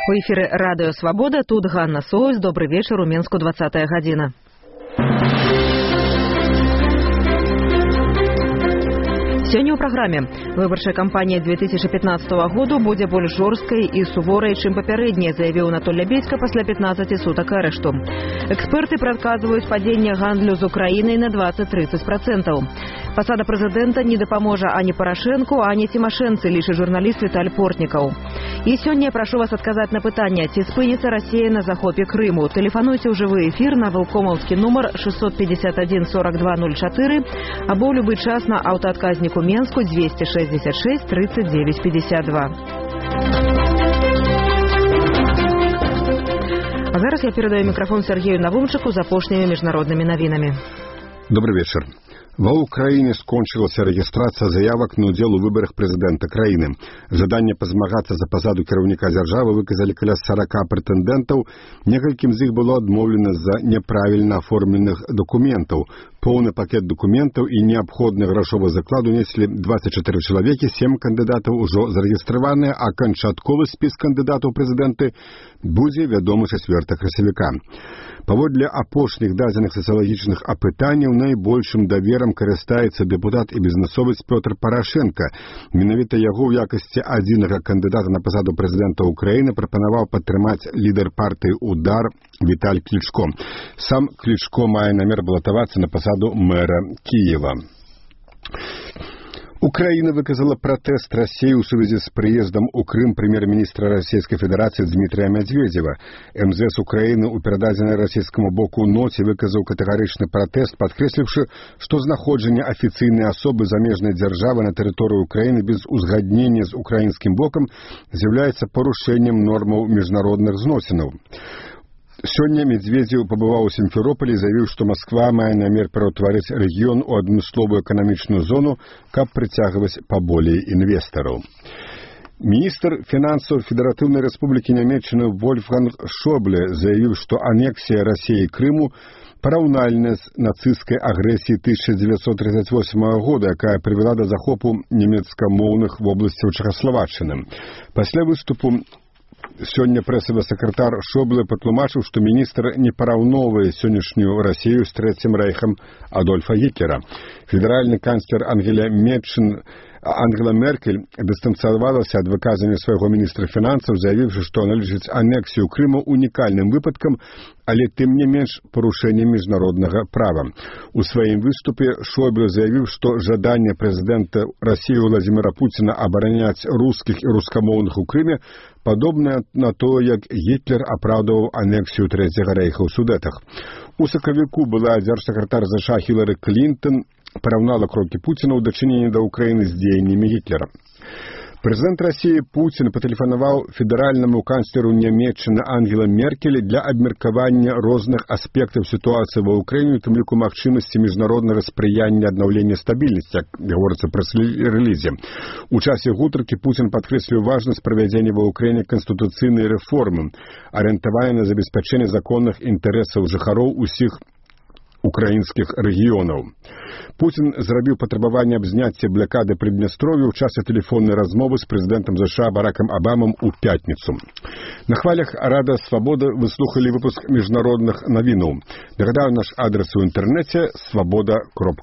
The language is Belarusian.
У эфіры радыё «Свабода», тут Ганна Соус. Добрый вечер, у Менску 20 гадзіна. Сёння ў праграме. Выбарчая кампанія 2015 году будзе больш жорсткай і суворай, чым папярэдняя, заявіў Анатоль Лябедзька пасля 15 сутак арышту. Эксперты прадказваюць падзенне гандлю з Украінай на 20-30%. Пасада прэзідэнта не дапаможа ані Парашэнку, ані Цімашэнцы, лічыць журналіст Віталь Портнікаў. І сёння я прашу вас адказаць на пытанне, ці спыніцца Расія на захопе Крыму. Тэлефануйце ў жывы эфір на вылкомаўскі нумар 651 4204 або ў любы час на аўтаадказніку Менску 266 39 52. А зараз я перадаю мікрафон Сергею Навумчыку з апошнімі міжнароднымі навінамі. Добрый вечер. Ва Украине скончылася рэгістрацыя заявак на ўдзел у выбарах прэзідэнта краіны. Жаданне пазмагацца за пасаду кіраўніка дзяржавы выказалі каля 40 прэтэндэнтаў. Некалькім з іх было адмоўлена з-за няправільна аформленых дакументаў. Поўны пакет дакументаў і неабходны грашовы заклад унеслі 24 чалавекі, 7 кандыдатаў ужо зарэгістраваныя, а канчатковы спіс кандыдатаў прэзідэнты будзе вядомы 4 красавіка. Паводле апошніх дадзеных сацыялагічных апытанняў найбольшым даверам карыстаецца дэпутат і бізнесовец Пётр Парашенка. Менавіта яго ў якасці адзінага кандыдата на пасаду прэзідэнта Украіны прапанаваў падтрымаць лідар партыі «Удар» Віталь Клічко. Сам Клічко мае намер балатавацца на пасаду мэра Кіева. Украина выказала протест России ў сувязі з прыездам у Крым прэм'ер-міністра Расійскай Федэрацыі Дмітрия Медведева. МЗС Украины у перададзенай расійскаму боку ноце выказаў катэгарычны пратэст, падкрэсліўшы, што знаходжанне афіцыйнай асобы замежнай дзяржавы на тэрыторыі Украины без узгаднення з украінскім бокам з'яўляецца парушэннем нормаў міжнародных зносінаў. Сёння Медведзеў пабываў у Сімферополі і заявіў, што Масква мае намер пераўтварыць рэгіён у адмысловую эканамічную зону, каб прыцягваць паболей інвестараў. Міністр фінансаў Федэратыўнай Рэспублікі Нямецчыны Вольфганг Шобле заявіў, што анексія Расіі Крыму параўнальная з нацысцкай агрэсіяй 1938 года, якая прывяла да захопу нямецкамоўных вобласцяў Чэхаславаччыны. Пасля выступу сёння прэсавы сакратар Шобле патлумачыў, што міністр не параўноўвае сённяшнюю Расію з Трэцім рэйхам Адольфа Гітлера. Федэральны канцлер Ангела Меркель дыстанцавалася ад выказання свайго міністра фінансаў, заявіўшы, што она лічыць анексію Крыму унікальным выпадкам, але тым не менш парушэннем міжнароднага права. У сваім выступе Шобле заявіў, што жаданне прэзідэнта Расіі Владзіміра Пуціна абараняць рускіх і рускамоўных у Крыме падобнае на то, як Гітлер апраўдваў анексію Трэцяга рэйха ў Судэтах. У сакавіку была дзяржсакратар США Хілары Клінтон параўнала крокі Пуціна ў дачыненні да Украіны з дзеяннямі Гітлера. Прэзідэнт Расіі Пуцін патэлефанаваў федэральнаму канцлеру Нямецчыны Ангела Меркель для абмеркавання розных аспектаў сітуацыі ва Ўкраіне, у тым ліку магчымасці міжнароднага спрыяння аднаўлення стабільнасці, як гаворыцца прэс-рэлізе. У часе гутаркі Пуцін падкрэсліў важнасць правядзення ва Ўкраіне канстытуцыйнай рэформы, арыентаванай на забеспячэнне законных інтарэсаў жыхароў усіх украінскіх рэгіёнаў. Пуцін зрабіў патрабаванне аб зняцці блакады Прыднястров'я ў часе тэлефоннай размовы з прэзідэнтам США Баракам Абамам у пятніцу. На хвалях Радыё Свабода вы слухалі выпуск міжнародных навінаў. Нагадаю, наш адрес у інтэрнэце свабода.ру.